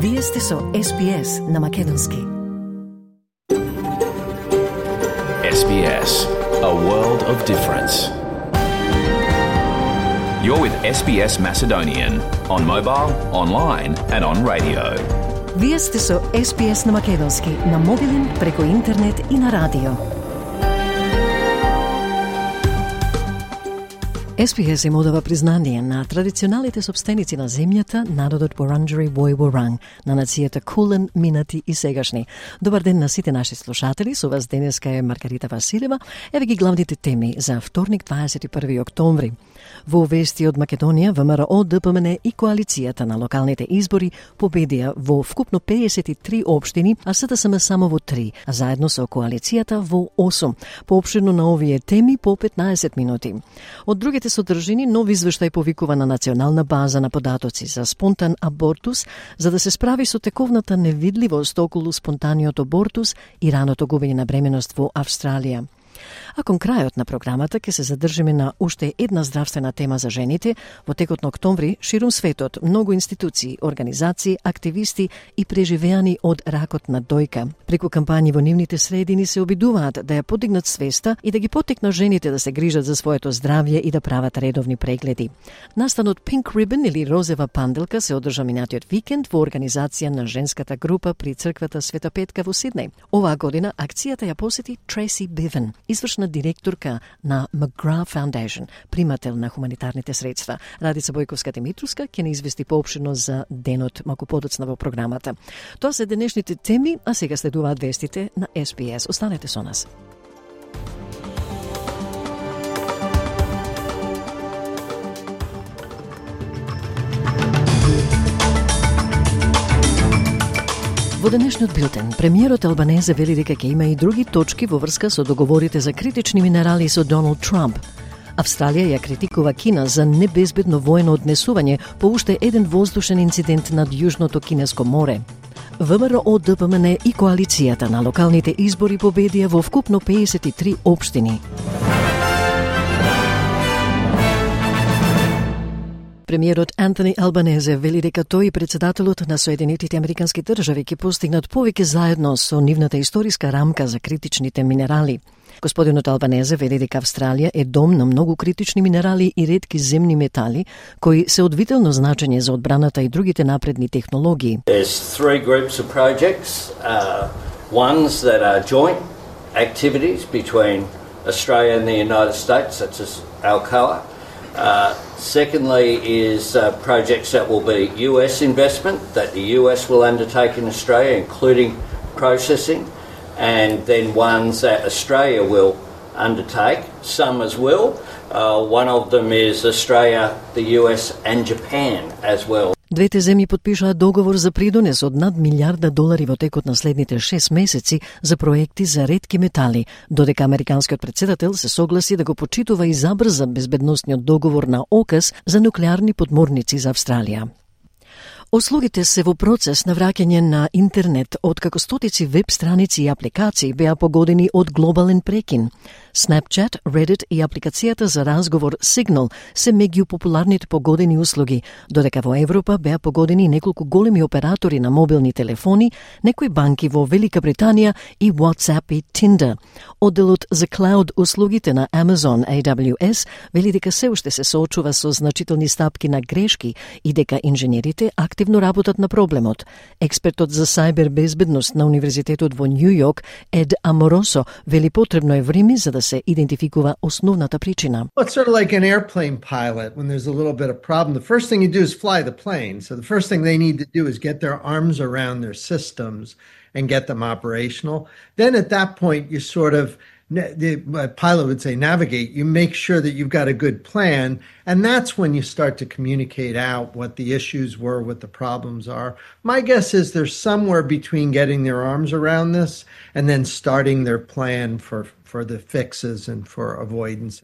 Вие сте со SBS на Македонски. SBS, a world of difference. You're with SBS Macedonian on mobile, online and on radio. Вие сте со SBS на Македонски на мобилен, преку интернет и на радио. SBS им одава признание на традиционалните собственици на земјата, народот Вурунджери Вој-Вурунг, на нацијата Кулен, минати и сегашни. Добар ден на сите наши слушатели, со вас денеска е Маргарита Василева. Еве ги главните теми за вторник 21 октомври. Во вести од Македонија, ВМРО, ДПМН и коалицијата на локалните избори победија во вкупно 53 општини, а СДСМ само во 3, а заедно со коалицијата во 8. Поопширно на овие теми по 15 минути. Од другите содржини, нов извештај повикува на национална база на податоци за спонтан абортус, за да се справи со тековната невидливост околу спонтаниот абортус и раното губење на бременост во Австралија. А кон крајот на програмата ќе се задржиме на уште една здравствена тема за жените. Во текот на октомври, ширум светот, многу институции, организации, активисти и преживеани од ракот на дојка. Преку кампањи во нивните средини се обидуваат да ја подигнат свеста и да ги поттикнат жените да се грижат за своето здравје и да прават редовни прегледи. Настанот Pink Ribbon или Розева панделка се одржа минатиот викенд во организација на женската група при црквата Света Петка во Сиднеј. Оваа година акцијата ја посети Tracy Bevan, извршна директорка на McGrath Foundation, примател на хуманитарните средства. Радица Бојковска-Димитровска ќе не извести поопширно за денот малку подоцна во програмата. Тоа се денешните теми, а сега следуваат вестите на SBS. Останете со нас. Во денешниот билтен, премиерот Албанезе вели дека ќе има и други точки во врска со договорите за критични минерали со Доналд Трамп. Австралија ја критикува Кина за небезбедно воено однесување по уште еден воздушен инцидент над Јужното Кинеско море. ВМРО, ДПМН и коалицијата на локалните избори победија во вкупно 53 општини. Премиерот Антони Албанезе вели дека тој и председателот на Соединетите Американски држави ќе постигнат повеќе заедно со нивната историска рамка за критичните минерали. Господинот Албанезе вели дека Австралија е дом на многу критични минерали и ретки земни метали, кои се од вително значење за одбраната и другите напредни технологии. There's three groups of projects, ones that are joint activities between Australia and the United States, such as Alcoa. Secondly is projects that will be US investment, that the US will undertake in Australia, including processing, and then ones that Australia will undertake, some as well. One of them is Australia, the US and Japan as well. Двете земји подпишаа договор за придонес од над $1 во текот на следните 6 месеци за проекти за ретки метали, додека американскиот председател се согласи да го почитува и забрза безбедносниот договор на ОКАС за нуклеарни подморници за Австралија. Услугите се во процес на враќање на интернет, откако стотици веб страници и апликации беа погодени од глобален прекин. Snapchat, Reddit и апликацијата за разговор Signal се меѓу популарните погодени услуги, додека во Европа беа погодени неколку големи оператори на мобилни телефони, некои банки во Велика Британија и WhatsApp и Tinder. Одделот за клауд услугите на Amazon AWS вели дека се уште се соочува со значителни стапки на грешки и дека инженерите активно работат на проблемот. Експертот за сајбер безбедност на Универзитетот во Нью Йорк, Ед Аморосо, вели потребно е време за да се идентификува основната причина. Well, it's sort of like an airplane pilot when there's a little bit of problem. The first thing you do is fly the plane. So the first thing they need to do is get their arms around their systems and get them operational. Then at that point, you sort of, the pilot would say navigate, you make sure that you've got a good plan, and that's when you start to communicate out what the issues were, what the problems are. My guess is there's somewhere between getting their arms around this and then starting their plan for the fixes and for avoidance.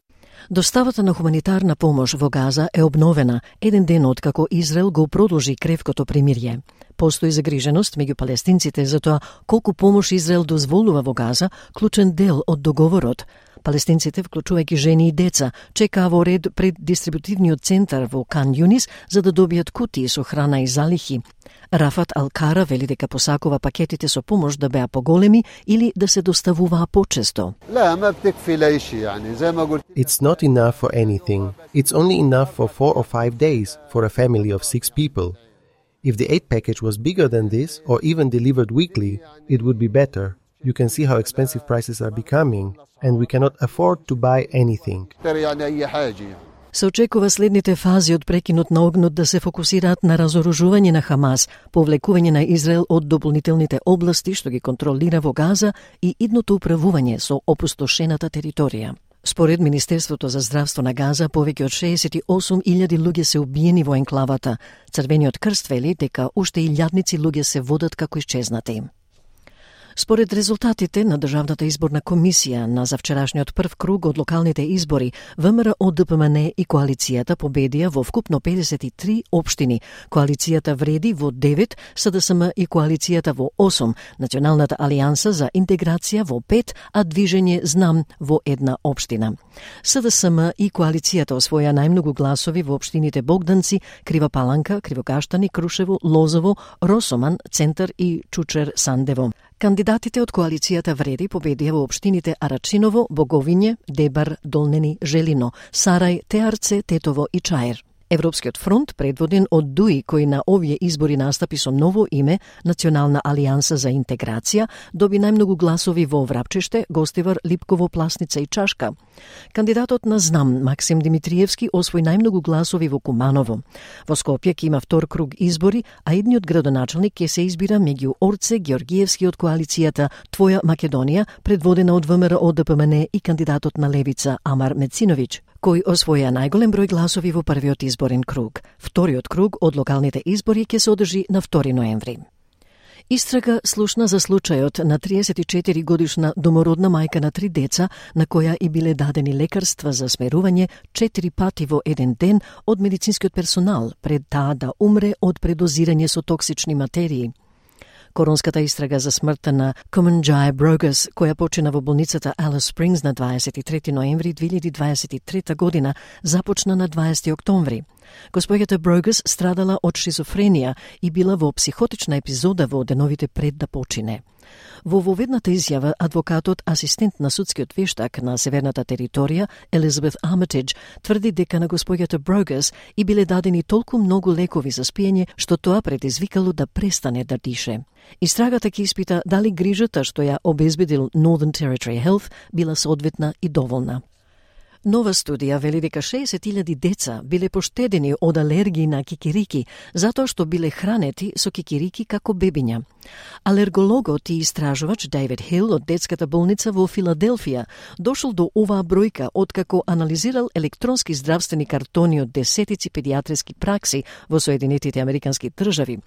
Доставата на хуманитарна помош во Газа е обновена еден ден откако Израел го продолжи кревкото примирје. Постои загриженост меѓу палестинците за тоа колку помош Израел дозволува во Газа, клучен дел од договорот. Палестинците, вклучувајќи жени и деца, чекаа во ред пред дистрибутивниот центар во Кан Јунис за да добијат кутии со храна и залихи. Рафат Ал-Кара вели дека посакува пакетите со помош да беа поголеми или да се доставуваа почесто. It's not enough for anything. It's only enough for 4 or 5 days for a family of 6 people. If the aid package was bigger than this, or even delivered weekly, it would be better. You can see how expensive prices are becoming, and we cannot afford to buy anything. Се очекува следните фази од прекинот на огнот да се фокусираат на разоружување на Хамас, повлекување на Израел од дополнителните области што ги контролира во Газа и идното управување со опустошената територија. Според Министерството за здравство на Газа, повеќе од 68.000 луѓе се убиени во енклавата. Црвениот крст вели дека уште илјадници луѓе се водат како исчезнати. Според резултатите на Државната изборна комисија на завчерашниот прв круг од локалните избори, ВМРО ДПМН и коалицијата победија во вкупно 53 општини. Коалицијата вреди во 9, СДСМ и коалицијата во 8, Националната алијанса за интеграција во 5, а Движење Знам во 1 општина. СДСМ и коалицијата освоја најмногу гласови во општините Богданци, Крива Паланка, Кривокаштани, Крушево, Лозово, Росоман, Центар и Чучер Сандево. Кандидатите од коалицијата вреди победија во општините Арачиново, Боговиње, Дебар, Долнени, Желино, Сарај, Теарце, Тетово и Чаер. Европскиот фронт, предводен од ДУИ, кој на овие избори настапи со ново име, Национална алијанса за интеграција, доби најмногу гласови во Врапчеште, Гостивар, Липково, Пласница и Чашка. Кандидатот на Знам, Максим Димитриевски, освои најмногу гласови во Куманово. Во Скопје ќе има втор круг избори, а едниот градоначалник ќе се избира меѓу Орце Георгиевски од коалицијата Твоја Македонија, предводена од ВМРО ДПМН и кандидатот на Левица Амар Мециновиќ, кој освоја најголем број гласови во првиот изборен круг. Вториот круг од локалните избори ќе се одржи на 2 ноември. Истрага слушна за случајот на 34 годишна домородна мајка на 3 деца, на која и биле дадени лекарства за смерување 4 пати во еден ден од медицинскиот персонал, пред таа да умре од предозирање со токсични материи. Коронската истрага за смртта на Kumanjayi Brogos, која почина во болницата Alice Springs на 23 ноември 2023 година, започна на 20 октомври. Господјата Брогос страдала од шизофренија и била во психотична епизода во деновите пред да почине. Во воведната изјава, адвокатот, асистент на судскиот вештак на северната територија, Елизабет Армитидж, тврди дека на господјата Брогос и биле дадени толку многу лекови за спиење, што тоа предизвикало да престане да дише. Истрагата ќе испита дали грижата што ја обезбедил Northern Territory Health била соодветна и доволна. Нова студија вели дека 60.000 деца биле поштедени од алергии на кикирики, затоа што биле хранети со кикирики како бебиња. Алергологот и истражувач Дейвид Хил од детската болница во Филаделфија дошол до оваа бројка откако анализирал електронски здравствени картони од десетици педиатриски пракси во Соединетите Американски држави.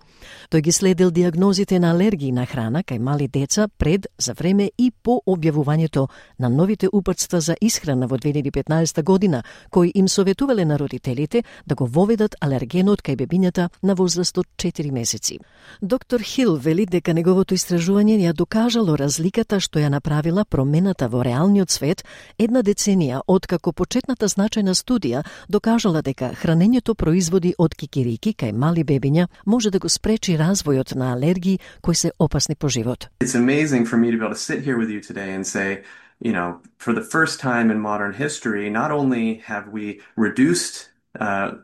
Тој ги следил диагнозите на алергии на храна кај мали деца пред, за време и по објавувањето на новите упатства за исхрана во 2015 година, кои им советувале на родителите да го воведат алергенот кај бебињата на возраст од 4 месеци. Доктор Хил вели дека неговото истражување ја докажало разликата што ја направила промената во реалниот свет една деценија откако почетната значајна студија докажала дека хранењето производи од кикирики кај мали бебиња може да го спречи развојот на алергии кои се опасни по живот. It's amazing for me to be able to sit here with you today and say, you know, for the first time in modern history, not only have we reduced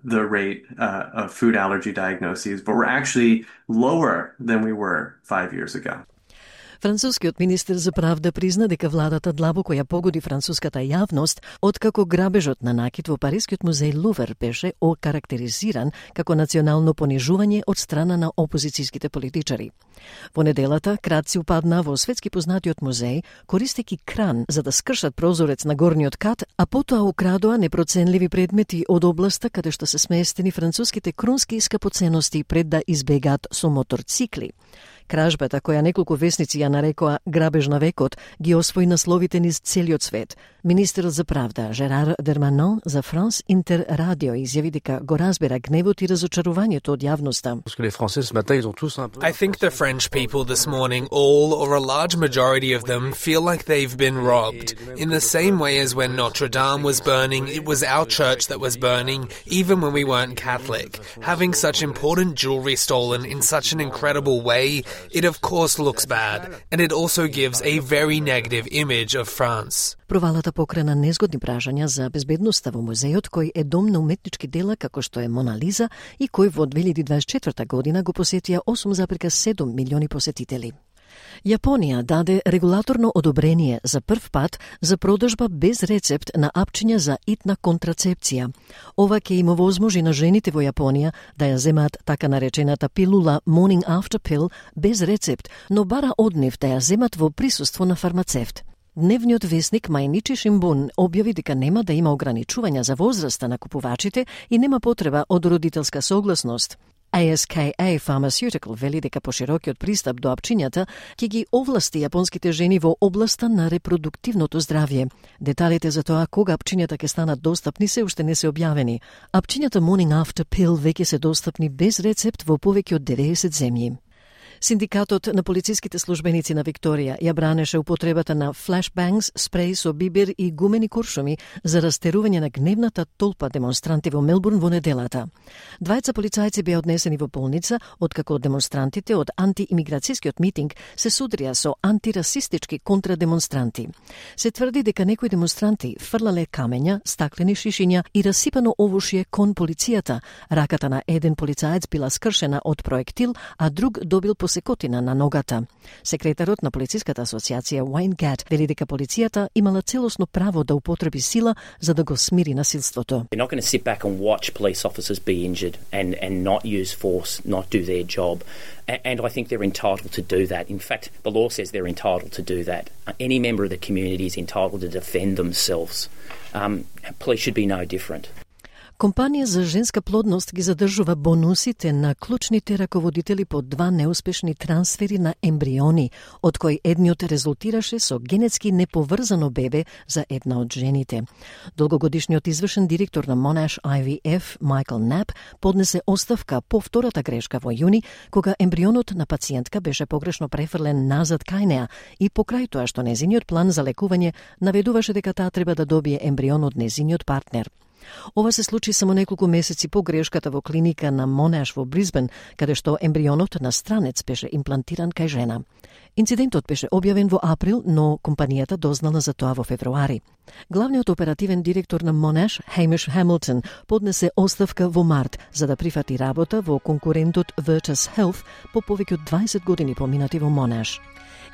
the rate of food allergy diagnoses, but we're actually lower than we were 5 years ago. Францускиот министер за правда призна дека владата длабоко ја погоди француската јавност откако грабежот на накит во Парискиот музеј Лувр беше окарактеризиран како национално понижување од страна на опозицијските политичари. Во неделата крадци упадна во светски познатиот музеј користејќи кран за да скршат прозорец на горниот кат, а потоа украдоа непроценливи предмети од областа каде што се сместени француските крунски скапоценности пред да избегаат со моторцикли. Кражбата, која неколку весници ја нарекоа грабеж на векот, ги освои насловите низ целиот свет. Министерот за правда Жерар Дерманон за Франс Интер Радио изјави дека го разбира гневот и разочарувањето од јавноста. I think the French people this morning, all or a large majority of them, feel like they've been robbed. In the same way as when Notre Dame was burning, it was our church that was burning, even when we weren't Catholic. Having such important jewelry stolen in such an incredible way, it of course looks bad, and it also gives a very negative image of France. Провалата покрена незгодни пражања за безбедноста во музејот, кој е дом на уметнички дела како што е Мона Лиза и кој во 2024 година го посетија 8,7 милиони посетители. Јапонија даде регулаторно одобрение за прв пат за продажба без рецепт на апчиња за итна контрацепција. Ова ќе им овозможи на жените во Јапонија да ја земаат така наречената пилула Morning After Pill без рецепт, но бара од нив да ја земат во присуство на фармацевт. Дневниот весник Мајничи Шимбун објави дека нема да има ограничувања за возраста на купувачите и нема потреба од родителска согласност. ASKA Pharmaceutical вели дека поширокиот пристап до апчињата ќе ги овласти јапонските жени во областа на репродуктивното здравје. Деталите за тоа кога апчињата ќе станат достапни се уште не се објавени. Апчињата Morning After Pill веќе се достапни без рецепт во повеќе од 90 земји. Синдикатот на полициските службеници на Викторија ја бранеше употребата на флешбангс, спреј со бибер и гумени куршуми за растерување на гневната толпа демонстранти во Мелбурн во неделата. Двајца полицајци беа однесени во болница, откако демонстрантите од антиимиграцијскиот митинг се судрија со антирасистички контрадемонстранти. Се тврди дека некои демонстранти фрлале камења, стаклени шишиња и расипано овушје кон полицијата. Раката на еден полицаец била скршена од проектил, а друг добил посекотина на ногата. Секретарот на полициската асоциација Уајн Гат вели дека полицијата имала целосно право да употреби сила за да го смири насилството. They're not going to sit back and watch police officers be injured and not use force, not do their job. And I think they're entitled to do that. In fact, the law says they're entitled to do that. Any member of the community is entitled to defend themselves. Police should be no different. Компанија за женска плодност ги задржува бонусите на клучните раководители по 2 неуспешни трансфери на ембриони, од кои едниот резултираше со генетски неповрзано бебе за една од жените. Долгогодишниот извршен директор на Monash IVF, Майкл Нап, поднесе оставка по втората грешка во јуни, кога ембрионот на пациентка беше погрешно префрлен назад кај неа и покрај тоа што незиниот план за лекување наведуваше дека таа треба да добие ембрион од незиниот партнер. Ова се случи само неколку месеци по грешката во клиника на Monash во Брисбен, каде што ембрионот на странец беше имплантиран кај жена. Инцидентот беше објавен во април, но компанијата дознала за тоа во февруари. Главниот оперативен директор на Monash, Хеймиш Хамилтон, поднесе оставка во март за да прифати работа во конкурентот Virtus Health по повеќе од 20 години поминати во Monash.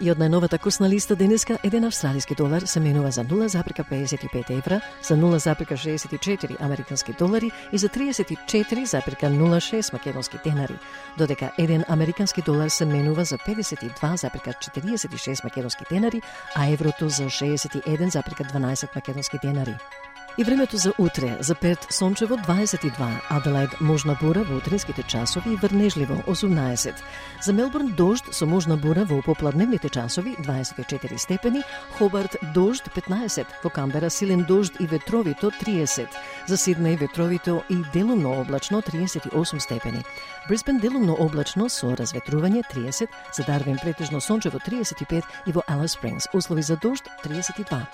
И од најновата курсна листа денеска, еден австралиски долар се менува за 0,55 евра, за 0,64 американски долари и за 34,06 македонски денари, додека еден американски долар се менува за 52,46 македонски денари, а еврото за 61,12 македонски денари. И времето за утре, за Перт сончево 22, Аделаид можна бура во утринските часови и врнежливо 18. За Мелбурн дожд со можна бура во попладневните часови 24 степени, Хобарт дожд 15, во Камбера силен дожд и ветровито 30, за Сиднеј ветровито и делумно облачно 38 степени. Брисбен делумно облачно со разветрување 30, за Дарвин претежно сончево 35 и во Алис Спрингс услови за дожд 32.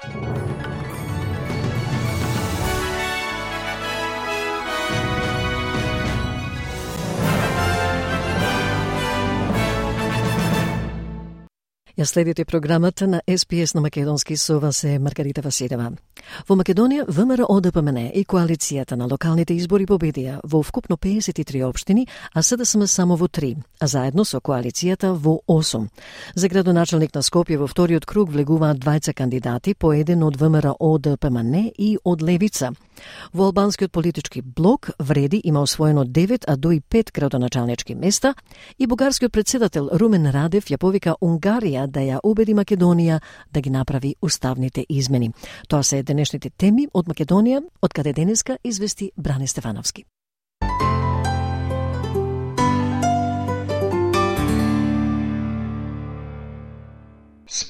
Ја следите програмата на SPS на македонски, со вас е Маргарита Василева. Во Македонија, ВМРО ДПМН и коалицијата на локалните избори победија во вкупно 53 општини, а СДСМ само во 3, а заедно со коалицијата во 8. За градоначалник на Скопје во вториот круг влегуваат двајца кандидати, по еден од ВМРО ДПМН и од Левица. Во албанскиот политички блок Вреди има освоено 9, а до и 5 градоначалнички места и бугарскиот председател Румен Радев ја повика Унгарија да ја убеди Македонија да ги направи уставните измени. Тоа се денешните теми од Македонија, од каде денеска извести Бране Стефановски.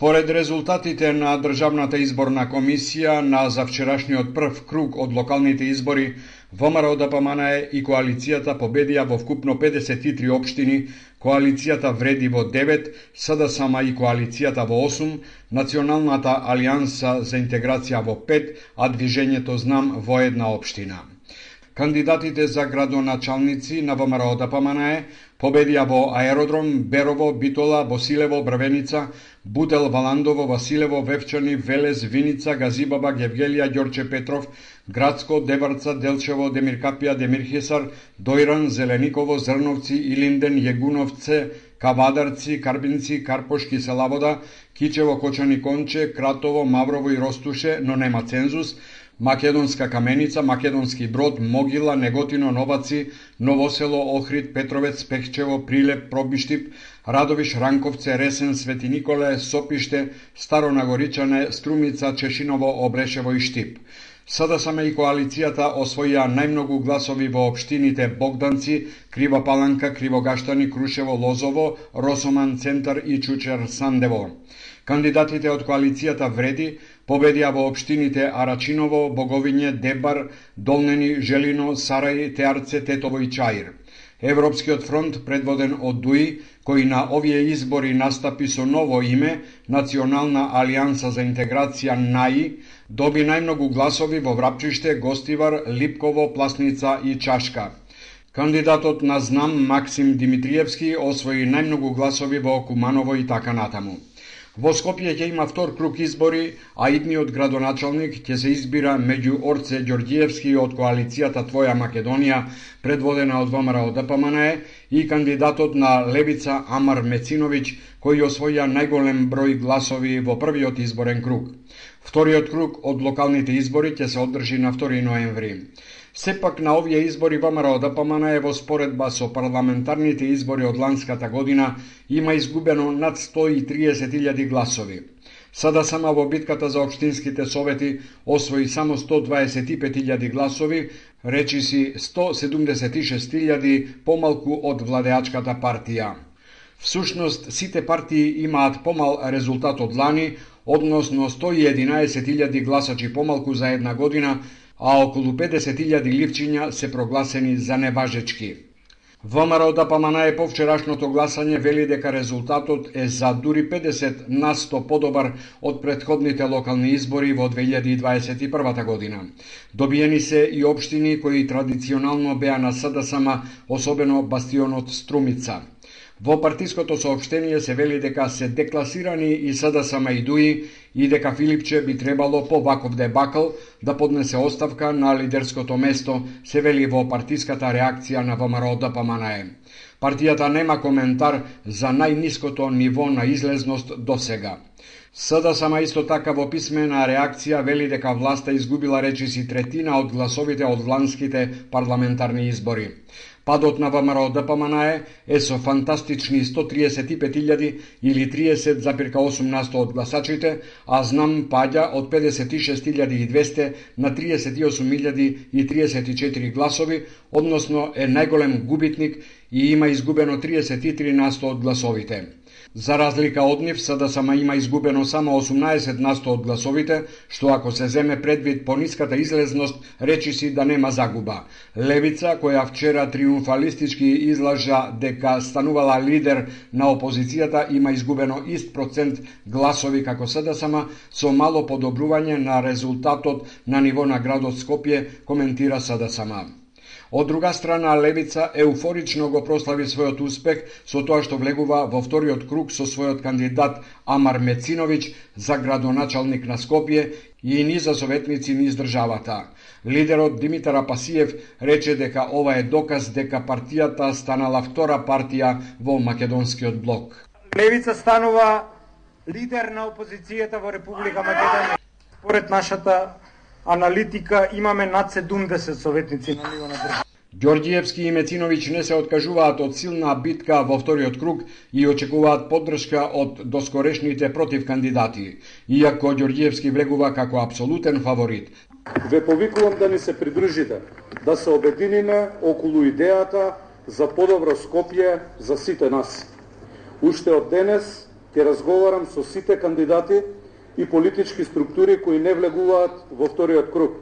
Според резултатите на Државната изборна комисија на завчерашниот прв круг од локалните избори, ВМРО-ДПМНЕ и коалицијата победија во вкупно 53 општини, коалицијата Вреди во 9, СДСМ и коалицијата во 8, Националната алијанса за интеграција во 5, а Движењето Знам во 1 општина. Кандидатите за градоначалници на ВМРО-ДПМНЕ победија во Аеродром, Берово, Битола, Босилево, Брвеница, Бутел, Валандово, Василево, Вевчани, Велес, Виница, Газибаба, Гевгелија, Ѓорче Петров, Градско, Деварца, Делчево, Демиркапија, Демирхисар, Дојран, Зелениково, Зрновци, Илинден, Јегуновце, Кавадарци, Карбинци, Карпошки, Селавода, Кичево, Кочани, Конче, Кратово, Маврово и Ростуше, но нема цензус, Македонска Каменица, Македонски Брод, Могила, Неготино, Новаци, Новосело, Охрид, Петровец, Пехчево, Прилеп, Пробиштип, Радовиш, Ранковце, Ресен, Свети Николе, Сопиште, Старо Нагоричане, Струмица, Чешиново, Обрешево и Штип. СДСМ и коалицијата освоија најмногу гласови во општините Богданци, Крива Паланка, Кривогаштани, Крушево, Лозово, Росоман, Центар и Чучер, Сандево. Кандидатите од коалицијата Вреди победија во општините Арачиново, Боговиње, Дебар, Долнени, Желино, Сарај, Теарце, Тетово и Чаир. Европскиот фронт, предводен од ДУИ, кој на овие избори настапи со ново име, Национална алијанса за интеграција НАИ, доби најмногу гласови во Врапчиште, Гостивар, Липково, Пласница и Чашка. Кандидатот на Знам, Максим Димитриевски, освои најмногу гласови во Куманово и така натаму. Во Скопје ќе има втор круг избори, а идниот градоначалник ќе се избира меѓу Орце Ѓорѓиевски од коалицијата Твоја Македонија, предводена од ВМРО-ДПМНЕ, и кандидатот на Левица Амар Мециновиќ, кој освоја најголем број гласови во првиот изборен круг. Вториот круг од локалните избори ќе се одржи на 2 ноември. Сепак на овие избори ВМРО-ДПМНЕ во споредба со парламентарните избори од ланската година има изгубено над 130.000 гласови. СДСМ во битката за општинските совети освои само 125.000 гласови, речиси 176.000 помалку од владеачката партија. Всушност, сите партии имаат помал резултат од лани, односно 111.000 гласачи помалку за една година, а околу 50.000 ливчиња се прогласени за неважечки. ВМРО-ДПМНЕ по вчерашното гласање вели дека резултатот е за дури 50% подобар од претходните локални избори во 2021 година. Добиени се и општини кои традиционално беа на СДСМ, особено бастионот Струмица. Во партиското соопштение се вели дека се декласирани и СДСМ и ДУИ и дека Филипче би требало по Ваков де Бакл да поднесе оставка на лидерското место, се вели во партиската реакција на ВМРО-ДПМНЕ. Партијата нема коментар за најниското ниво на излезност до сега. СДСМ исто така во писмена реакција вели дека власта изгубила речиси третина од гласовите од вланските парламентарни избори. Падот на ВМРО-ДПМНЕ е со фантастични 135.000 или 30,8% од гласачите, а Знам паѓа од 56.200 на 38.034 гласови, односно е најголем губитник и има изгубено 33% од гласовите. За разлика од нив, СДСМ има изгубено само 18% од гласовите, што ако се земе предвид пониската излезност, речиси да нема загуба. Левица, која вчера триумфалистички излажа дека станувала лидер на опозицијата, има изгубено ист процент гласови како СДСМ, со мало подобрување на резултатот на ниво на градот Скопје, коментира СДСМ. Од друга страна, Левица еуфорично го прослави својот успех со тоа што влегува во вториот круг со својот кандидат Амар Мециновиќ за градоначалник на Скопје и ни за советници низ државата. Лидерот Димитар Апасиев рече дека ова е доказ дека партијата станала втора партија во македонскиот блок. Левица станува лидер на опозицијата во Република Македонија. Според нашата аналитика имаме над 70 советници на ниво на држава. Ѓорѓиевски и Мециновиќ не се откажуваат од силна битка во вториот круг и очекуваат поддршка од доскорешните против кандидати, иако Ѓорѓиевски влегува како апсолутен фаворит. Ве повикувам да ни се придружите, да се обединиме околу идејата за подобро Скопје за сите нас. Уште од денес Ќе разговарам со сите кандидати и политички структури кои не влегуваат во вториот круг.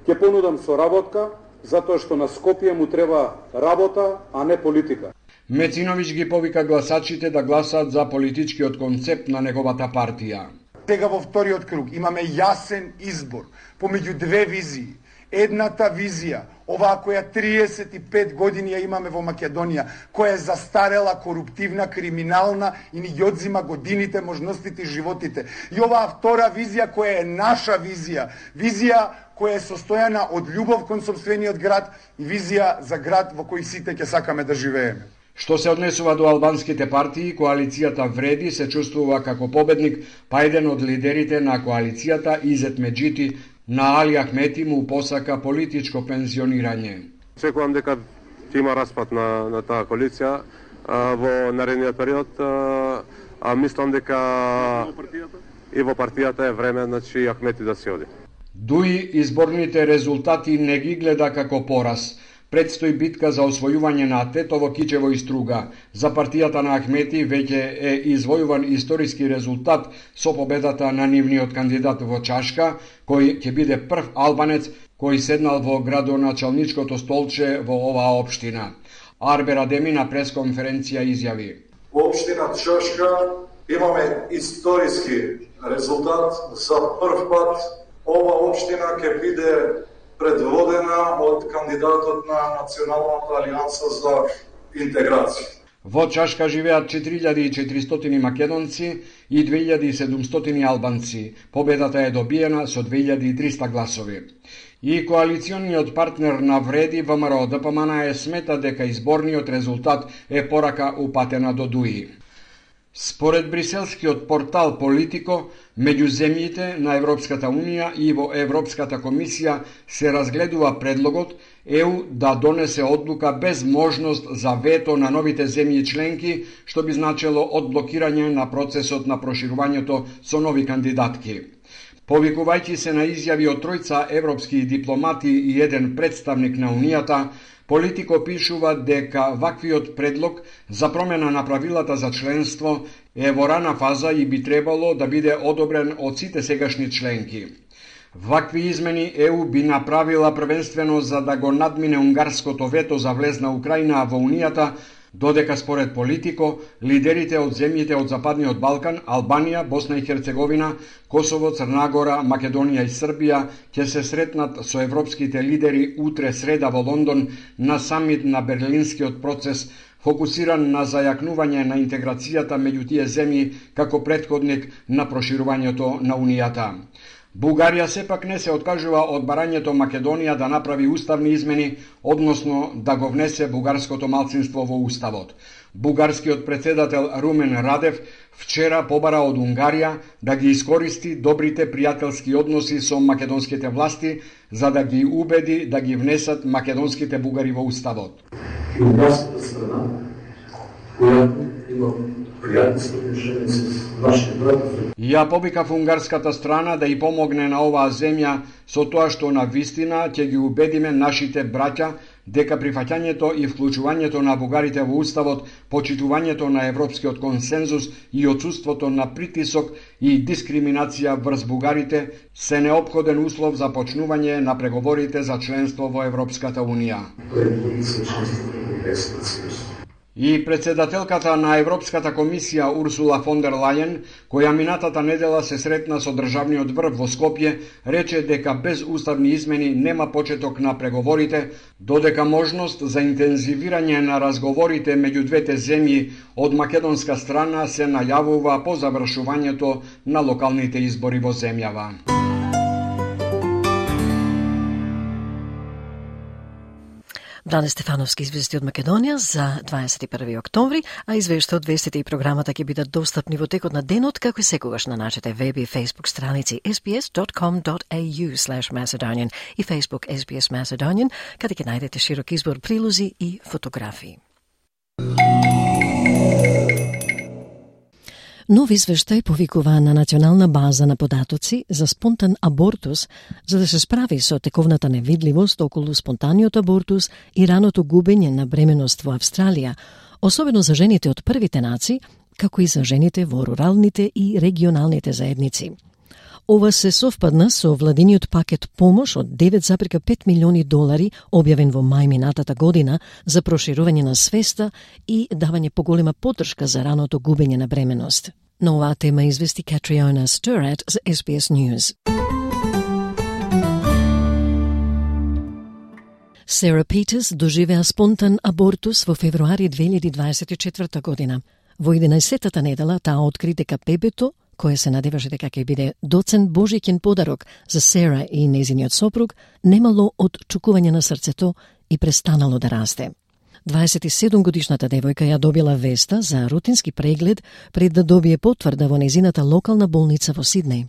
Ќе понудам соработка, затоа што на Скопје му треба работа, а не политика. Мециновиќ ги повика гласачите да гласаат за политичкиот концепт на неговата партија. Сега во вториот круг имаме јасен избор помеѓу две визии. Едната визија, оваа која 35 години ја имаме во Македонија, која е застарела, коруптивна, криминална и ни ги одзима годините, можностите и животите. И оваа втора визија која е наша визија, визија која е состојана од љубов кон сопствениот град и визија за град во кој сите ќе сакаме да живееме. Што се однесува до албанските партии, коалицијата Вреди се чувствува како победник, па еден од лидерите на коалицијата, Изет Меджити, на Али Ахмети му посака политичко пензионирање. Очекувам дека ќе има распад на таа коалиција во наредниот период. Мислам дека и во партијата е време, значи, Ахмети да се оди. Дуи изборните резултати не ги гледа како пораз. Предстои битка за освојување на Тетово, Кичево и Струга. За партијата на Ахмети веќе е извојуван историски резултат со победата на нивниот кандидат во Чашка, кој ќе биде прв албанец кој седнал во градоначалничкото столче во оваа општина. Арбер Адеми на пресконференција изјави: Во општина Чашка имаме историски резултат. За прв пат ова општина ќе биде предводена од кандидатот на Националната алијанса за интеграција. Во Чашка живеат 4400 македонци и 2700 албанци. Победата е добиена со 2300 гласови. И коалициониот партнер на Вреди, ВМРО ДПМН, смета дека изборниот резултат е порака упатена до Дуи. Според бриселскиот портал Политико, меѓу земјите на Европската Унија и во Европската комисија се разгледува предлогот ЕУ да донесе одлука без можност за вето на новите земји членки, што би значело одблокирање на процесот на проширувањето со нови кандидатки. Повикувајќи се на изјави од тројца европски дипломати и еден представник на Унијата, Политико пишува дека ваквиот предлог за промена на правилата за членство е во рана фаза и би требало да биде одобрен од сите сегашни членки. Вакви измени ЕУ би направила првенствено за да го надмине унгарското вето за влез на Украина во Унијата, додека според Политико, лидерите од земјите од Западниот Балкан, Албанија, Босна и Херцеговина, Косово, Црна Гора, Македонија и Србија ќе се сретнат со европските лидери утре среда во Лондон на самит на Берлинскиот процес, фокусиран на зајакнување на интеграцијата меѓу тие земји како претходник на проширувањето на Унијата. Бугарија сепак не се откажува од барањето Македонија да направи уставни измени, односно да го внесе бугарското малцинство во уставот. Бугарскиот председател Румен Радев вчера побара од Унгарија да ги искористи добрите пријателски односи со македонските власти за да ги убеди да ги внесат македонските бугари во уставот. Унгарската страна, која има пријателски отношенија со нашите братови. Ја повикав унгарската страна да и помогне на оваа земја со тоа што на вистина ќе ги убедиме нашите браќа дека прифаќањето и вклучувањето на бугарите во уставот, почитувањето на европскиот консензус и отсуството на притисок и дискриминација врз бугарите се неопходен услов за почнување на преговорите за членство во Европската Унија. И председателката на Европската комисија Урсула фон дер Лајен, која минатата недела се сретна со државниот врв во Скопје, рече дека без уставни измени нема почеток на преговорите, додека можност за интензивирање на разговорите меѓу двете земји од македонска страна се најавува по завршувањето на локалните избори во земјава. Бране Стефановски извести од Македонија за 21 октомври, а извештаот, вестите и програмата ќе бидат достапни во текот на денот, како и секогаш на нашите веб и Facebook страници sbs.com.au/Macedonian и Facebook SBS Macedonian, каде ќе најдете широк избор прилози и фотографии. Нов извештај повикува на национална база на податоци за спонтан абортус, за да се справи со тековната невидливост околу спонтаниот абортус и раното губење на бременост во Австралија, особено за жените од првите нации, како и за жените во руралните и регионалните заедници. Ова се совпадна со владиниот пакет помош од $9,5 милиони објавен во мај минатата година за проширување на свеста и давање поголема поддршка за раното губење на бременост. На оваа тема извести Катриона Стерат за SBS News. Сара Питерс доживеа спонтан абортус во февруари 2024 година. Во 11-тата недела таа откри дека бебето, кое се надеваше дека ќе биде доцен божиќен подарок за Сара и незиниот сопруг, немало отчукување на срцето и престанало да расте. 27-годишната девојка ја добила веста за рутински преглед пред да добие потврда во незината локална болница во Сиднеј.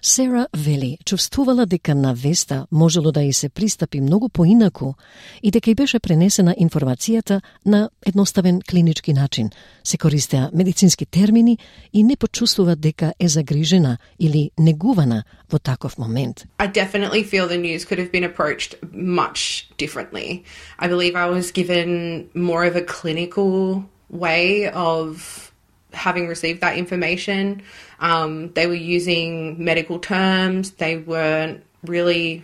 Сара вели, чувствувала дека на веста можело да и се пристапи многу поинаку и дека и беше пренесена информацијата на едноставен клинички начин. Се користеа медицински термини и не почувствува дека е загрижена или негувана во таков момент. I definitely feel the news could have been approached much differently. I believe I was given more of a clinical way of having received that information. They were using medical terms. They weren't really,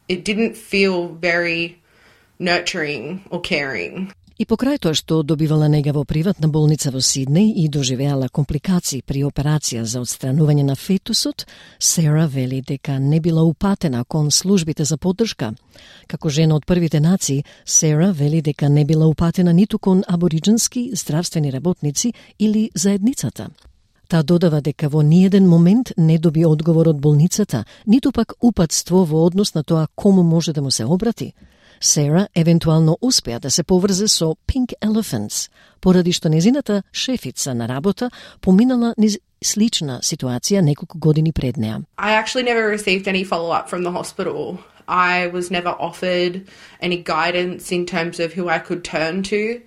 it didn't feel very nurturing or caring. И покрај тоа што добивала нега во приватна болница во Сиднеј и доживеала компликации при операција за отстранување на фетусот, Сара вели дека не била упатена кон службите за поддршка. Како жена од првите нации, Сара вели дека не била упатена ниту кон абориджински здравствени работници или заедницата. Таа додава дека во ниеден момент не доби одговор од болницата, ниту пак упатство во однос на тоа кому може да му се обрати. Сара евентуално успеа да се поврзе со Pink Elephants, поради што незината шефица на работа поминала низ слична ситуација неколку години пред неа. I actually never received any follow-up from the hospital. I was never offered any guidance in terms of who I could turn to.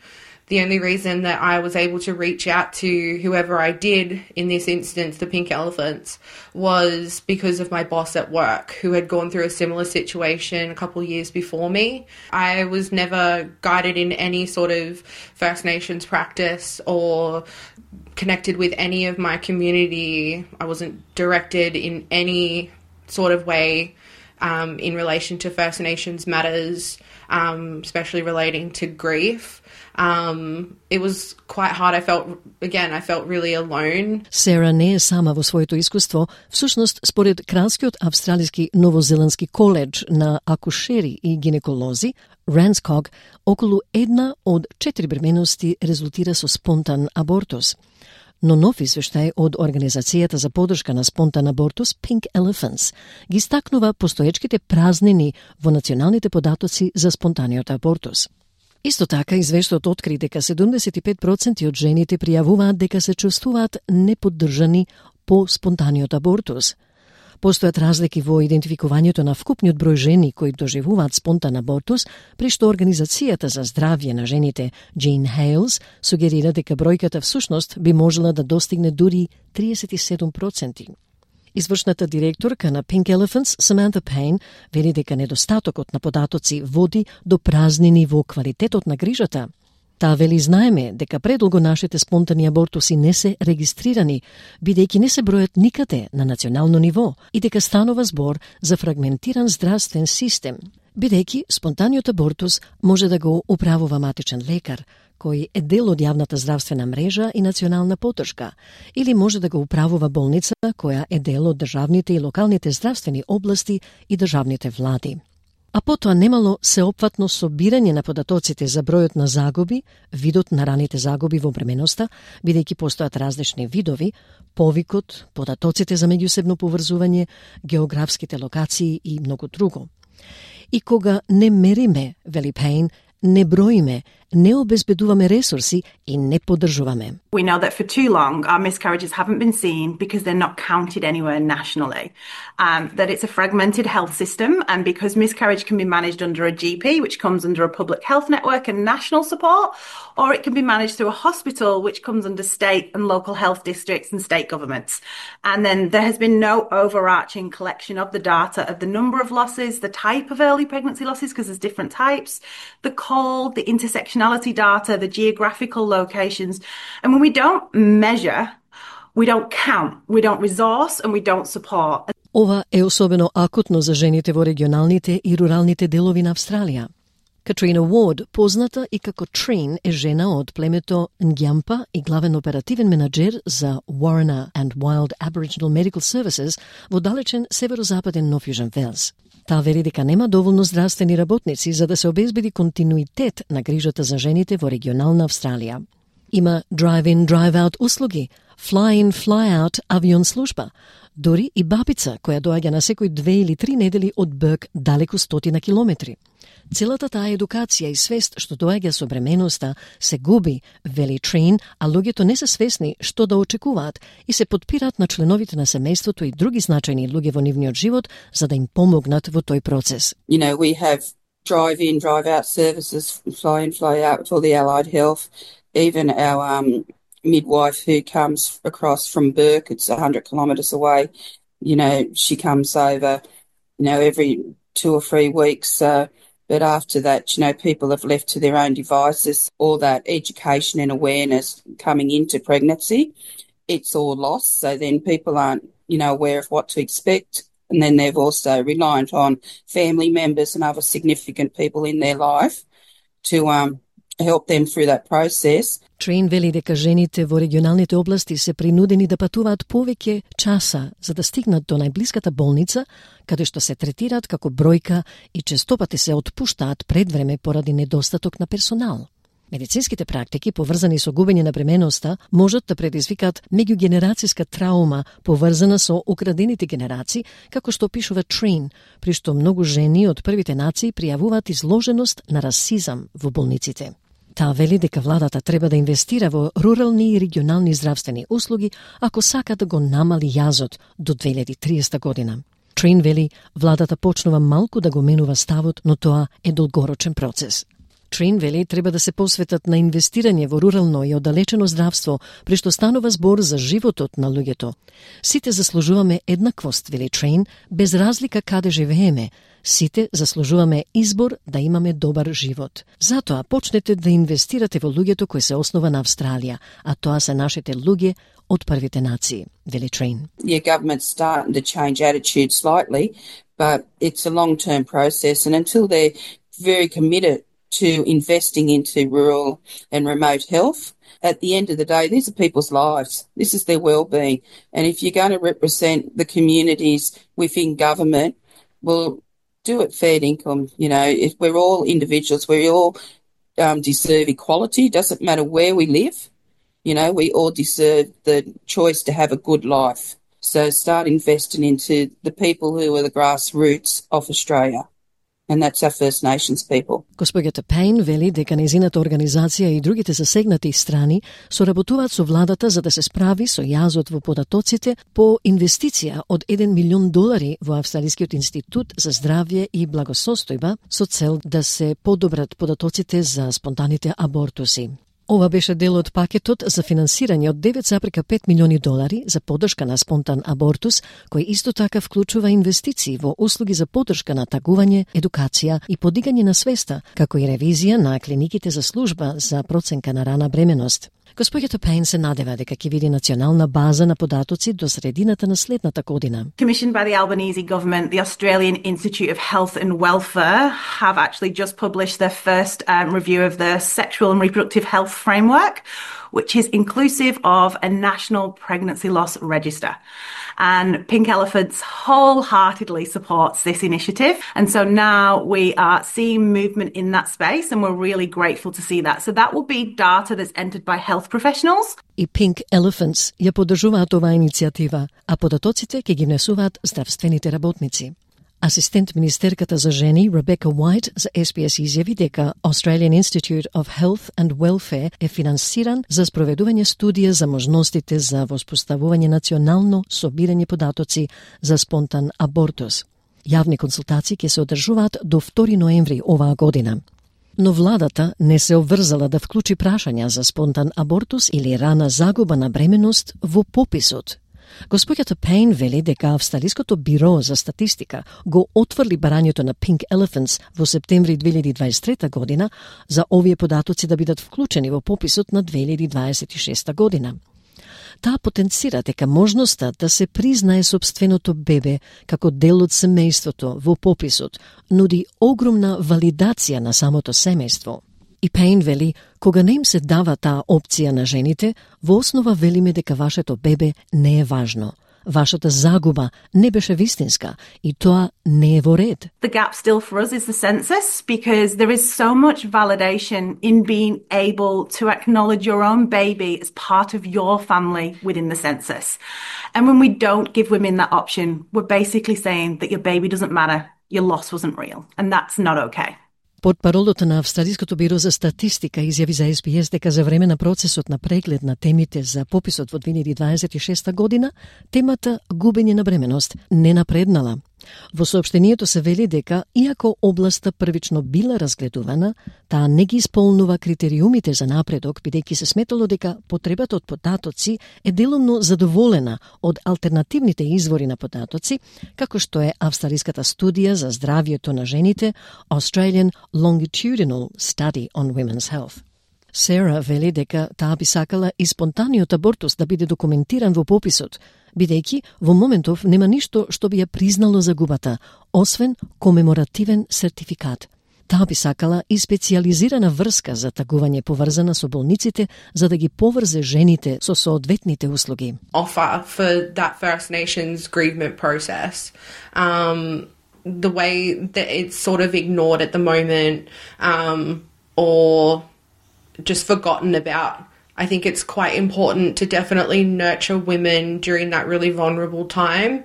The only reason that I was able to reach out to whoever I did, in this instance, the Pink Elephants, was because of my boss at work, who had gone through a similar situation a couple of years before me. I was never guided in any sort of First Nations practice or connected with any of my community. I wasn't directed in any sort of way in relation to First Nations matters, especially relating to grief. It was quite hard. I felt really alone. Сара не е сама во своето искуство. Всушност, според Кралскиот австралиски новозеландски коледж на акушери и гинеколози, Ranscock, околу 1 од 4 бременности резултира со спонтан абортус. Но нов извештај од Организацијата за поддршка на спонтан абортус Pink Elephants ги стакнува постоечките празнини во националните податоци за спонтаниот абортус. Исто така, извештајот откри дека 75% од жените пријавуваат дека се чувствуваат неподдржани по спонтаниот абортус. Постојат разлики во идентификувањето на вкупниот број жени кои доживуваат спонтан абортус, при што Организацијата за здравје на жените Jean Hales сугерира дека бројката всушност би можела да достигне дури 37%. Извршната директорка на Pink Elephants, Samantha Payne, вели дека недостатокот на податоци води до празнини во квалитетот на грижата. Таа вели знаеме дека предолго нашите спонтани абортуси не се регистрирани, бидејќи не се бројат никаде на национално ниво и дека станува збор за фрагментиран здравствен систем, бидејќи спонтаниот абортус може да го управува матичен лекар, кој е дел од јавната здравствена мрежа и национална поддршка, или може да го управува болница која е дел од државните и локалните здравствени области и државните влади. А потоа немало сеопфатно собирање на податоците за бројот на загуби, видот на раните загуби во бременоста, бидејќи постојат различни видови, повикот, податоците за меѓусебно поврзување, географските локации и многу друго. И кога не мериме, вели Пейн, не броиме, не обезбедуваме ресурси и не поддржуваме. We know that for too long our miscarriages haven't been seen because they're not counted anywhere nationally. That it's a fragmented health system, and because miscarriage can be managed under a GP, which comes under a public health network and national support, or it can be managed through a hospital, which comes under state and local health districts and state governments. And then there has been no overarching collection of the data of the number of losses, the type of early pregnancy losses, because there's different types, the cold, the intersectionality nationality data, the geographical locations. And when we don't measure, we don't count, we don't resource, and we don't support. Ова е особено акутно за жените во регионалните и руралните делови на Австралија. Катрина Уорд, позната и како Trine, е жена од племето Нѓампа и главен оперативен менаџер за Warriner and Wild Aboriginal Medical Services во далечен северозападен Нов Јужен Велс. Таа вели дека нема доволно здравствени работници за да се обезбеди континуитет на грижата за жените во регионална Австралија. Има drive-in, drive-out услуги, fly-in, fly-out авион служба, дори и бабица која доаѓа на секој 2 или 3 недели од Бърк далеку 100 километри. Целата таа едукација и свест што доаѓа со бременоста се губи, вели Trine, а луѓето не се свесни што да очекуваат и се подпираат на членовите на семејството и други значајни луѓе во нивниот живот за да им помогнат во тој процес. You know, we have drive-in, drive-out services, fly-in, fly-out for the allied health. Even our midwife who comes across from Bourke, it's 100 kilometres away, you know, she comes over, you know, every 2 or 3 weeks. But after that, you know, people have left to their own devices. All that education and awareness coming into pregnancy, it's all lost. So then people aren't, you know, aware of what to expect. And then they're also reliant on family members and other significant people in their life to help them through that process. Trine вели дека жените во регионалните области се принудени да патуваат повеќе часа за да стигнат до најблиската болница, каде што се третираат како бројка и честопати се отпуштаат пред време поради недостаток на персонал. Медицинските практики, поврзани со губење на бременоста, можат да предизвикаат меѓугенерацијска траума, поврзана со украдените генерации, како што пишува Trine, при што многу жени од првите нации пријавуваат изложеност на расизам во болниците. Таа вели дека владата треба да инвестира во рурални и регионални здравствени услуги ако сака да го намали јазот до 2030 година. Trine вели владата почнува малку да го менува ставот, но тоа е долгорочен процес. Trine вели треба да се посветат на инвестирање во рурално и оддалечено здравство, при што станува збор за животот на луѓето. Сите заслужуваме еднаквост, вели Trine, без разлика каде живееме. Сите заслужуваме избор да имаме добар живот. Затоа почнете да инвестирате во луѓето кои се основа на Австралија, а тоа се нашите луѓе од првите нации, вели Trine. Yeah, government's starting to change attitude slightly, but it's a long-term process, and until they're very committed to investing into rural and remote health, at the end of the day, these are people's lives. This is their well-being. And if you're going to represent the communities within government, well, do it fair income. You know, if we're all individuals, we all deserve equality. Doesn't matter where we live. You know, we all deserve the choice to have a good life. So start investing into the people who are the grassroots of Australia. And that's our First Nations people. Госпоѓата Пейн вели дека нејзината организација и другите засегнати страни соработуваат со владата за да се справи со јазот во податоците по инвестиција од $1 милион во Австралискиот институт за здравје и благосостојба со цел да се подобрат податоците за спонтаните абортуси. Ова беше дел од пакетот за финансирање од $9,5 милиони за поддршка на спонтан абортус, кој исто така вклучува инвестиции во услуги за поддршка на тагување, едукација и подигање на свеста, како и ревизија на клиниките за служба за проценка на рана бременост. Госпоѓата Пейн се надева дека ќе види национална база на податоци до средината на следната година. Commissioned by the Albanese government, the Australian Institute of Health and Welfare have actually just published their first review of the Sexual and Reproductive Health Framework, which is inclusive of a national pregnancy loss register. And Pink Elephants wholeheartedly supports this initiative. And so now we are seeing movement in that space, and we're really grateful to see that. So that will be data that's entered by health professionals. И Pink Elephants ја поддржуваат оваа иницијатива, а податоците ќе ги внесуваат здравствените работници. Асистент министерката за жени Ребека Уайт за SBS изјави дека Australian Institute of Health and Welfare е финансиран за спроведување студија за можностите за воспоставување национално собирање податоци за спонтан абортус. Јавни консултации ќе се одржуваат до 2 ноември оваа година. Но владата не се обврзала да вклучи прашања за спонтан абортус или рана загуба на бременост во пописот. Господјата Пейн вели дека Австралиското биро за статистика го отврли барањето на Pink Elephants во септември 2023 година за овие податоци да бидат вклучени во пописот на 2026 година. Таа потенцира дека можноста да се признае собственото бебе како дел од семејството во пописот нуди огромна валидација на самото семејство. И Пейн вели, кога не им се дава таа опција на жените, во основа велиме дека вашето бебе не е важно. Вашата загуба не беше вистинска и тоа не е во ред. The gap still for us is the census because there is so much validation in being able to acknowledge your own baby as part of your family within the census. And when we don't give women that option, we're basically saying that your baby doesn't matter, your loss wasn't real, and that's not okay. Портпаролот на Австралиското биро за статистика изјави за SBS дека за време на процесот на преглед на темите за пописот во 2026 година, темата губење на бременост не напреднала. Во соопштението се вели дека, иако областа првично била разгледувана, таа не ги исполнува критериумите за напредок, бидејќи се сметало дека потребата од податоци е делумно задоволена од алтернативните извори на податоци, како што е австралиската студија за здравјето на жените, Australian Longitudinal Study on Women's Health. Сера вели дека таа би сакала и спонтаниот абортус да биде документиран во пописот, бидејќи во моментов нема ништо што би ја признало загубата, освен комеморативен сертификат. Таа би сакала и специјализирана врска за тагување поврзана со болниците, за да ги поврзе жените со соодветните услуги. Offer for that First Nations grievement process. The way that it's sort of ignored at the moment, or just forgotten about. I think it's quite important to definitely nurture women during that really vulnerable time,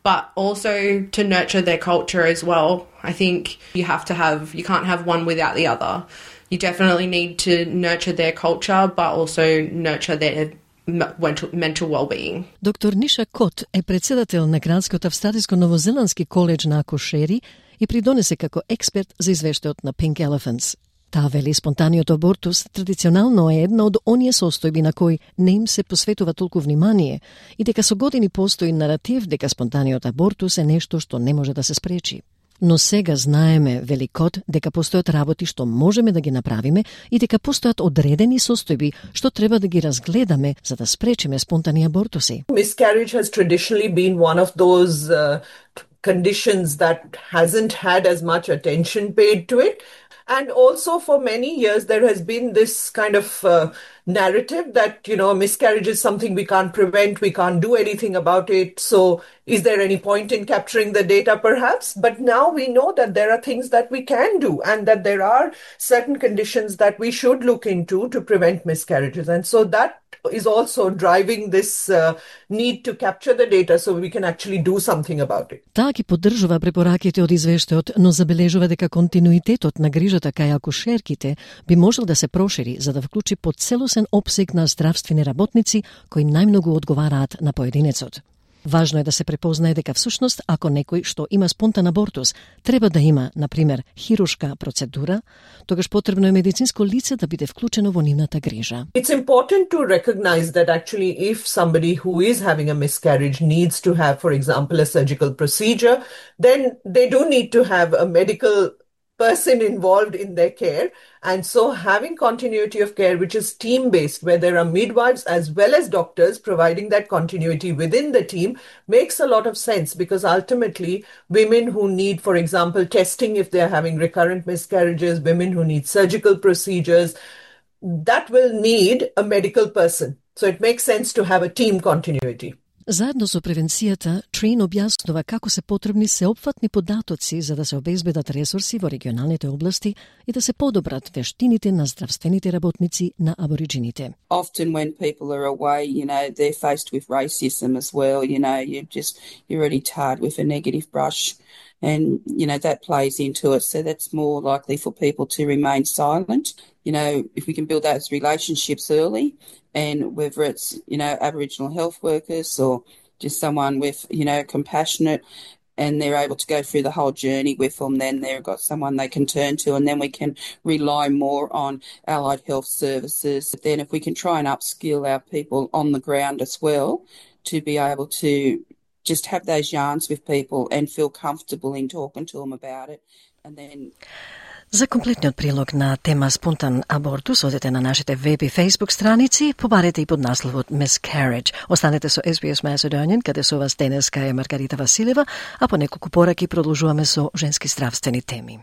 but also to nurture their culture as well. I think you can't have one without the other. You definitely need to nurture their culture, but also nurture their mental well-being. Доктор Ниша Кот е председател на Кралскиот австралиско-новозеландски коледж на акушери и придонесе како експерт за извештајот на Pink Elephants. Таа вели спонтаниот абортус традиционално е една од оние состојби на кои не им се посветува толку внимание и дека со години постои наратив дека спонтаниот абортус е нешто што не може да се спречи. Но сега знаеме, вели Кот, дека постојат работи што можеме да ги направиме и дека постојат одредени состојби што треба да ги разгледаме за да спречиме спонтани абортуси. Miscarriage has traditionally been one of those conditions that hasn't had as much attention paid to it. And also for many years, there has been this kind of narrative that, miscarriage is something we can't prevent, we can't do anything about it. So is there any point in capturing the data perhaps? But now we know that there are things that we can do and that there are certain conditions that we should look into to prevent miscarriages. And so that is also driving this need to capture the data so we can actually do something about it. Таа ги поддржува препораките од извештајот, но забележува дека континуитетот на грижата кај акушерките би можел да се прошири за да вклучи поцелосен опсег на здравствени работници кои најмногу одговараат на поединецот. Важно е да се препознае дека всушност ако некој што има спонтан абортус треба да има, например, хируршка процедура, тогаш потребно е медицинско лице да биде вклучено во нивната грижа. It's important to recognize that actually if somebody who is having a miscarriage needs to have, for example, a surgical procedure, then they do need to have a medical person involved in their care. And so having continuity of care, which is team-based, where there are midwives as well as doctors providing that continuity within the team, makes a lot of sense because ultimately women who need, for example, testing if they're having recurrent miscarriages, women who need surgical procedures, that will need a medical person. So it makes sense to have a team continuity. Заедно со превенцијата, Трин објаснува како се потребни сеопфатни податоци за да се обезбедат ресурси во регионалните области и да се подобрат вештините на здравствените работници на абориджините. Often when people are away, they're faced with racism as well, you're already tarred with a negative brush and, that plays into it. So that's more likely for people to remain silent. If we can build those relationships early, and whether it's, Aboriginal health workers or just someone with, compassionate, and they're able to go through the whole journey with them, then they've got someone they can turn to, and then we can rely more on allied health services. Then if we can try and upskill our people on the ground as well, to be able to just have those yarns with people and feel comfortable in talking to them about it. And then За комплетниот прилог на тема спонтан абортус одете на нашите веб и Facebook страници, побарете и под насловот Miscarriage. Останете со SBS Macedonian, каде со вас денеска е Маргарита Василева, а по неколку пораки продолжуваме со женски здравствени теми.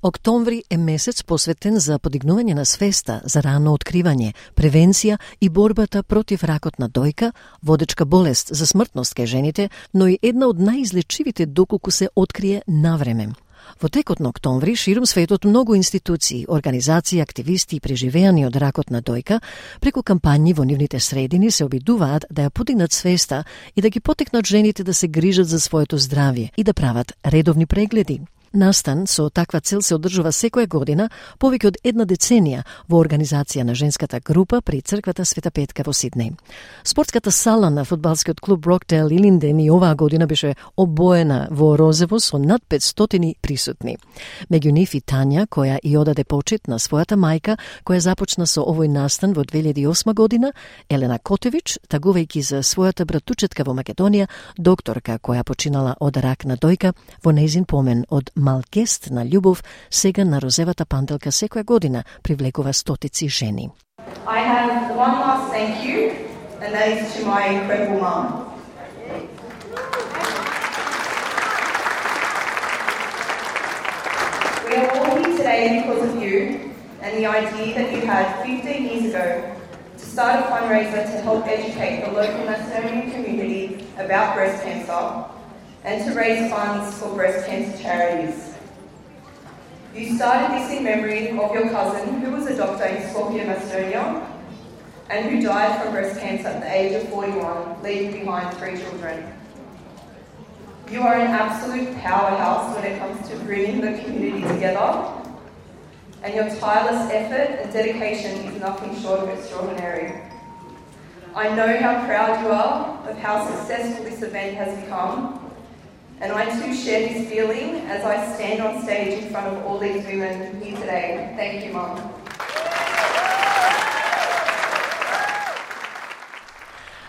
Октомври е месец посветен за подигнување на свеста за рано откривање, превенција и борбата против ракот на дојка, водечка болест за смртност кај жените, но и една од најизлечивите доколку се открие навреме. Во текот на октомври, ширум светот многу институции, организации, активисти и преживеани од ракот на дојка, преку кампањи во нивните средини се обидуваат да ја подигнат свеста и да ги потекнат жените да се грижат за своето здравје и да прават редовни прегледи. Настан со таква цел се одржува секоја година повеќе од една деценија во организација на женската група при црквата Света Петка во Сиднеј. Спортската сала на фудбалскиот клуб Брокдейл Илинден и оваа година беше обоена во розево со над 500 присутни. Меѓу нив и Тања, која и одаде почит на својата мајка, која започна со овој настан во 2008 година, Елена Котевич, тагувајќи за својата братучетка во Македонија, докторка која починала од рак на дојка, во нејзин помен од мал гест на љубов, сега на розевата панделка секоја година привлекува стотици жени. I have one last thank you, and that is to my incredible mum. We are all here today because of you and the idea that you had 15 years ago to start a fundraiser to help educate the local Macedonian community about breast cancer and to raise funds for breast cancer charities. You started this in memory of your cousin, who was a doctor in Skopje, Macedonia, and who died from breast cancer at the age of 41, leaving behind 3 children. You are an absolute powerhouse when it comes to bringing the community together, and your tireless effort and dedication is nothing short of extraordinary. I know how proud you are of how successful this event has become, and I too share this feeling as I stand on stage in front of all these women here today. Thank you, Mum.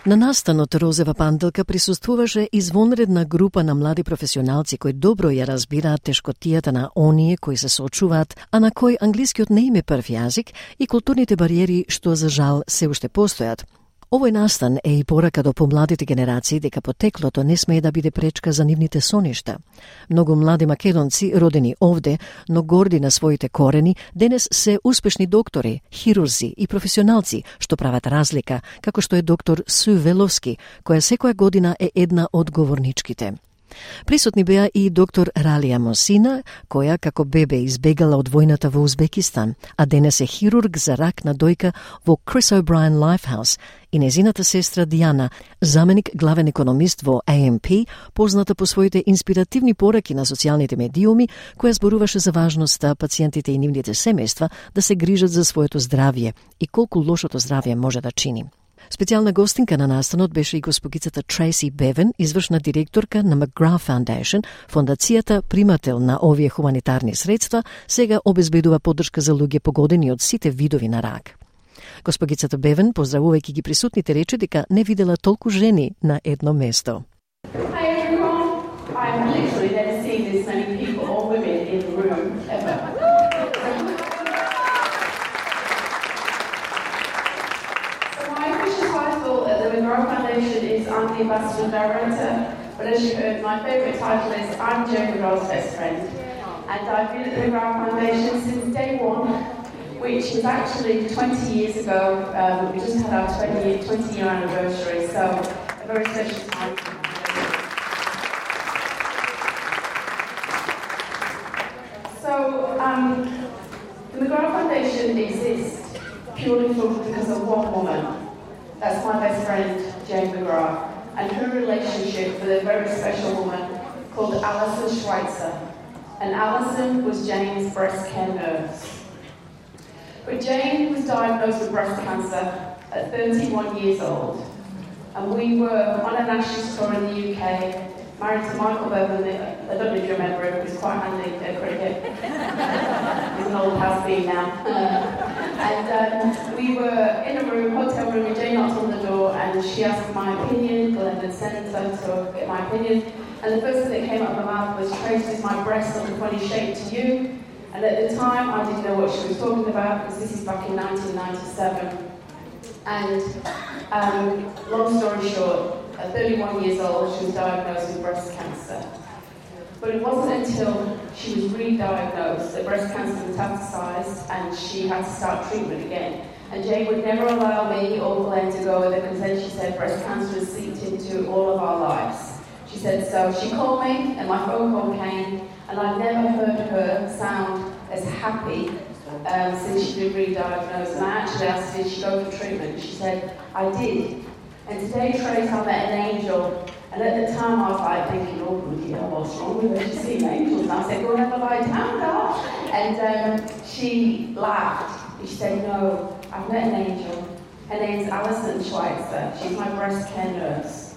На настанот Розева панделка присуствуваше извонредна група на млади професионалци кои добро ја разбираат тешкотијата на оние кои се соочуваат, а на кои англискиот не им е прв јазик и културните бариери што за жал се уште постојат. Овој настан е и порака до помладите генерации дека потеклото не смее да биде пречка за нивните соништа. Многу млади македонци, родени овде, но горди на своите корени, денес се успешни доктори, хирурзи и професионалци, што прават разлика, како што е доктор Су Веловски, која секоја година е една од говорничките. Присутни беа и доктор Ралија Мосина, која како бебе избегала од војната во Узбекистан, а денес е хирург за рак на дојка во Chris O'Brien Lifehouse, и незината сестра Диана, заменик главен економист во AMP, позната по своите инспиративни пораки на социјалните медиуми, која зборуваше за важноста пациентите и нивните семејства да се грижат за своето здравје и колку лошото здравје може да чини. Специјална гостинка на настанот беше и госпогицата Трейси Бевен, извршна директорка на McGrath Foundation, фондацијата примател на овие хуманитарни средства, сега обезбедува поддршка за луѓе погодени од сите видови на рак. Госпогицата Бевен, поздравувајќи ги присутните, рече дека не видела толку жени на едно место. Hi everyone, I'm literally never seen this many people or women in the room ever. The McGraw Foundation is I'm the Ambassador Director, but as you heard, my favourite title is I'm Joe McGraw's best friend. And I've been at the McGraw Foundation since day one, which was actually 20 years ago. We just had our 20-year anniversary, so a very special time. So the McGraw Foundation exists purely because of one woman. That's my best friend, Jane McGraw, and her relationship with a very special woman called Alison Schweitzer. And Alison was Jane's breast care nurse. But Jane was diagnosed with breast cancer at 31 years old. And we were on a national tour in the UK, married to Michael Bevan. I don't know if you remember him, he's quite handy at cricket. He's an old has-been now. And we were in a room, hotel room, and Jane knocked on the door and she asked my opinion. Glenn had sent her to get my opinion. And the first thing that came out of my mouth was, Trace, is my breast look a funny shape to you? And at the time, I didn't know what she was talking about, because this is back in 1997. And long story short, at 31 years old, she was diagnosed with breast cancer. But it wasn't until she was re-diagnosed that breast cancer metastasized and she had to start treatment again. And Jane would never allow me or Glenn to go with her, because then she said breast cancer has seeped into all of our lives. She said so. She called me and my phone call came, and I've never heard her sound as happy since she'd been re-diagnosed. And I actually asked her, did she go for treatment? She said, I did. And today, Trace, I met an angel. And at the time, I was like thinking, oh, yeah, what's wrong with her? She's seen angels. And I said, go and have a lie down, girl. And she laughed. She said, no, I've met an angel. Her name's Alison Schweitzer. She's my breast care nurse.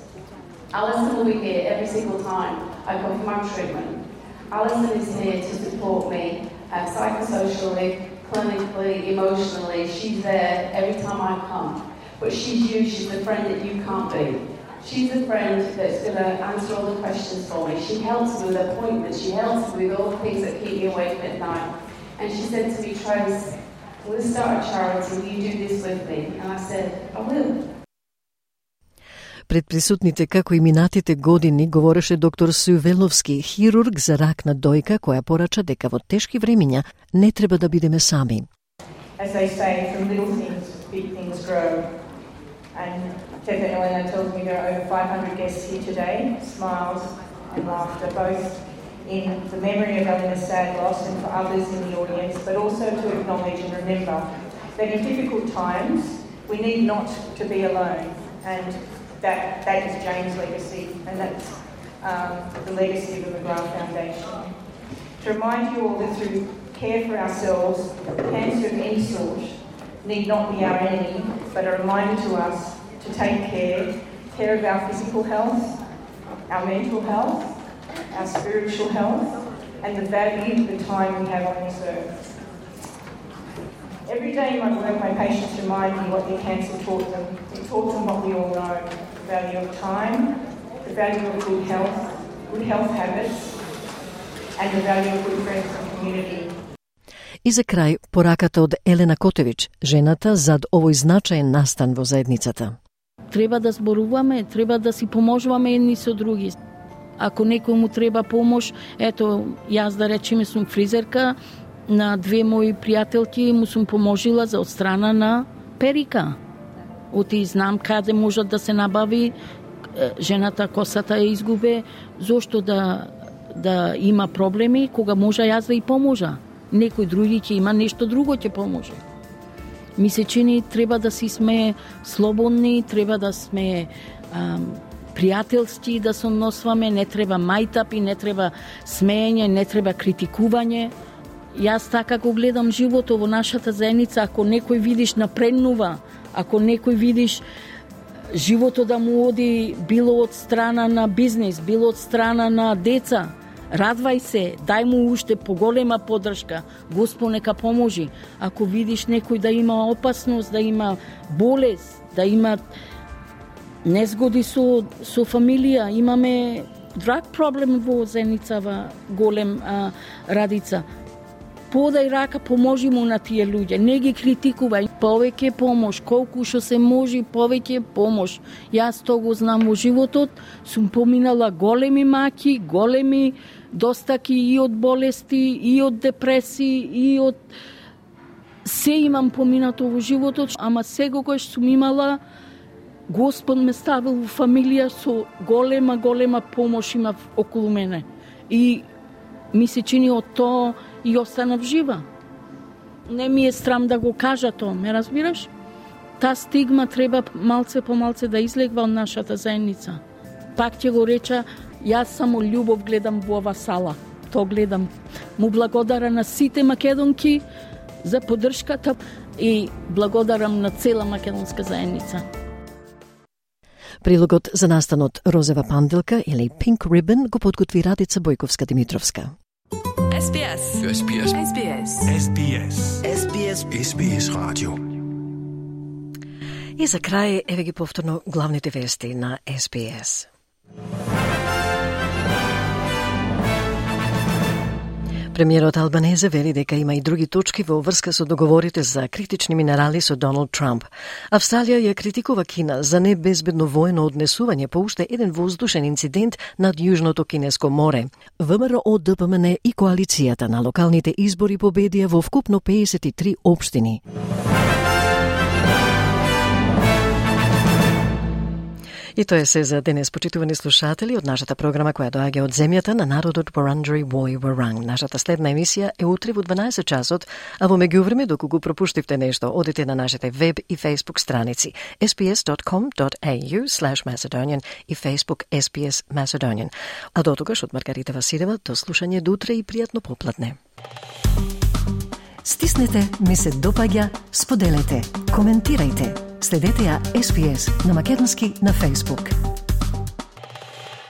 Alison will be here every single time I come for my treatment. Alison is here to support me psychosocially, clinically, emotionally. She's there every time I come. But she's you, she's the friend that you can't be. She's the friend that's going to answer all the questions for me. She helps me with appointments. She helps me with all the things that keep me awake at night. And she said to me, Trace, I'm going to start a charity. Will you do this with me? And I said, I will. Пред присутните, како и минатите години, говореше доктор Сувеловски, хирург за рак на дојка, која порача дека во тешки времиња не треба да бидеме сами. As they say, from little things, big things grow. And Teta Elena tells me there are over 500 guests here today, smiles and laughter, both in the memory of Elena's sad loss and for others in the audience, but also to acknowledge and remember that in difficult times, we need not to be alone. And that is Jane's legacy, and that's the legacy of the McGrath Foundation. To remind you all that through care for ourselves, cancer of any sort need not be our enemy, but a reminder to us to take care of our physical health, our mental health, our spiritual health, and the value of the time we have on this earth. Every day in my work, my patients remind me what their cancer taught them. It taught them what we all know, the value of time, the value of good health habits, and the value of good friends and community. И за крај, пораката од Елена Котевич, жената зад овој значаен настан во заедницата. Треба да зборуваме, треба да си поможуваме едни со други. Ако некој му треба помош, ето, јас да речеме сум фризерка, на две мои пријателки му сум поможила за одстрана на перика. Оти знам каде можат да се набави, жената косата ја изгубе, зошто да има проблеми, кога може јас да и поможа. Некој други ќе има нешто друго ќе поможе. Ми се чини треба да си сме слободни, треба да сме пријателски, да се односваме, не треба мајтапи, не треба смеење, не треба критикување. Јас така го гледам животот во нашата заедница, ако некој видиш напреднува, ако некој видиш животот да му оди било од страна на бизнес, било од страна на деца, радвај се, дај му уште поголема поддршка, Господ нека поможи. Ако видиш некој да има опасност, да има болест, да има незгоди со фамилија, имаме драг проблем во заедницава голем Радица. Подај рака, поможи му на тие луѓе, не ги критикувај, повеќе помош, колку што се може, повеќе помош. Јас тоа го знам во животот, сум поминала големи маки, големи достаки и од болести, и од депресии, и од... Се имам поминато во животот, ама секогаш сум имала, Господ ме ставил во фамилија со голема помош има околу мене. И ми се чини од тоа и останав жива. Не ми е срам да го кажа тоа, ме разбираш? Та стигма треба малце по малце да излегва од нашата заедница. Пак ќе го реча, јас само љубов гледам во ова сала. Тоа гледам. Му благодарам на сите македонки за поддршката и благодарам на цела македонска заедница. Прилогот за настанот Розева панделка или Pink Ribbon го подготви Радица Бојковска-Димитровска. SBS. SBS. SBS. SBS. SBS. SBS Radio. И за крај, еве ги повторно главните вести на SBS. Премиерот Албанезе вели дека има и други точки во врска со договорите за критични минерали со Доналд Трамп. Австралија ја критикува Кина за небезбедно воено однесување по уште еден воздушен инцидент над Јужното Кинеско море. ВМРО, ДПМН и коалицијата на локалните избори победија во вкупно 53 општини. И тоа е се за денес, почитувани слушатели, од нашата програма која доаѓа од земјата на народот Вуранџери Војворанг. Нашата следна емисија е утре во 12 часот, а во меѓувреме, доколку пропуштивте нешто, одите на нашите веб и Facebook страници sbs.com.au/Macedonian и Facebook SBS Macedonian. А до тогаш од Маргарита Василева, до слушање до утре и пријатно попладне. Стиснете, ми се допаѓа, споделете, коментирајте. Следете ја SBS на македонски на Facebook.